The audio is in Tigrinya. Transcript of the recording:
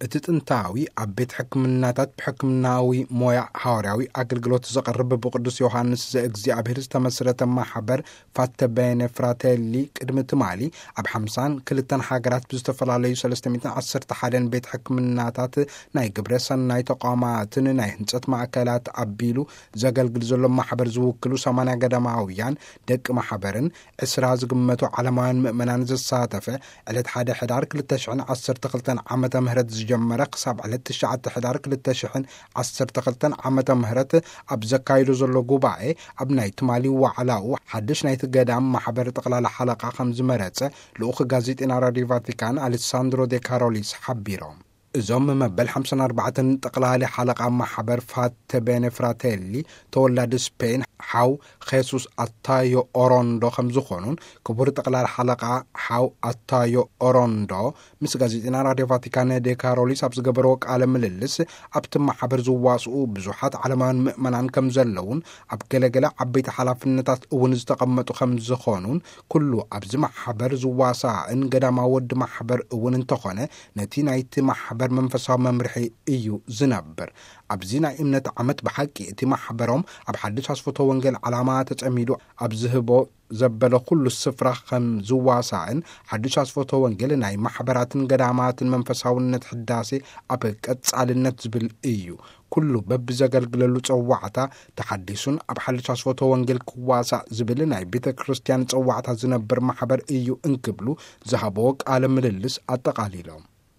እቲ ጥንታዊ ኣብ ቤት ሕክምናታት ብሕክምናዊ ሞያ ሃዋርያዊ ኣገልግሎት ዘቕርብ ብቅዱስ ዮሃንስ ዘእግዚኣብሔር ዝተመስረተ ማሕበር ፋተቤነ ፍራቴሊ ቅድሚ ትማሊ ኣብ ሓምሳን ክልተን ሃገራት ብዝተፈላለዩ ሰለስተ ሚእትን ዓሰርተ ሓደን ቤት ሕክምናታት ናይ ግብረ ሰናይ ተቋማትን ናይ ህንጸት ማእከላት ኣቢሉ ዘገልግል ዘሎ ማሕበር ዝውክሉ ሰማንያ ገዳማውያን ደቂ ማሕበርን ዕስራ ዝግመቱ ዓለማውያን ምእመናን ዘሳተፈ ዕለት ሓደ ሕዳር ክልተ ሽሕን ዓሰርተ ክልተን ዓመተ ምህረት ዝጀመረ ክሳብ ዕለት ትሽዓተ ሕዳር ክልተ ሽሕን ዓሰርተ ክልተን ዓመተ ምህረት ኣብ ዘካይዶ ዘሎ ጉባኤ ኣብ ናይ ትማሊ ዋዕላኡ ሓድሽ ናይቲ ገዳም ማሕበር ጠቕላላ ሓለቓ ከም ዝመረጸ ልኡኽ ጋዜጤና ራዲዮ ቫቲካን ኣሌሳንድሮ ዴ ካሮሊስ ሓቢሮም። እዞም መበል ሓምሳን ኣርባዕተን ጠቕላሊ ሓለቓ ማሕበር ፋተ ቤነ ፍራቴሊ ተወላዲ ስፔን ሓው ኼሱስ ኣታዮ ኦሮንዶ ከም ዝኾኑን ክቡር ጠቕላሊ ሓለቓ ሓው ኣታዮ ኦሮንዶ ምስ ጋዜጠና ራድዮ ቫቲካን ዴ ካሮሊስ ኣብ ዝገበርዎ ቃለ ምልልስ ኣብቲ ማሕበር ዝዋስኡ ብዙሓት ዓለማውያን ምእመናን ከም ዘለውን ኣብ ገለገለ ዓበይቲ ሓላፍነታት እውን ዝተቐመጡ ከም ዝኾኑን ኩሉ ኣብዚ ማሕበር ዝዋሳእን ገዳማዊ ወዲ ማሕበር እውን እንተኾነ ነቲ ናይቲ ማሕበር መንፈሳዊ መምርሒ እዩ ዝነብር። ኣብዚ ናይ እምነት ዓመት ብሓቂ እቲ ማሕበሮም ኣብ ሓድሽ ኣስፈቶ ወንጌል ዓላማ ተጸሚዱ ኣብ ዝህቦ ዘበለ ኩሉ ስፍራ ከም ዝዋሳእን ሓድሽ ኣስፈቶ ወንጌል ናይ ማሕበራትን ገዳማትን መንፈሳውነት ሕዳሴ ኣብ ቀጻልነት ዝብል እዩ። ኩሉ በብዘገልግለሉ ጸዋዕታ ተሓዲሱን ኣብ ሓድሽ ኣስፈቶ ወንጌል ክዋሳእ ዝብል ናይ ቤተ ክርስቲያን ጸዋዕታ ዝነብር ማሕበር እዩ እንክብሉ ዝሃበዎ ቃለ ምልልስ ኣጠቓሊሎም።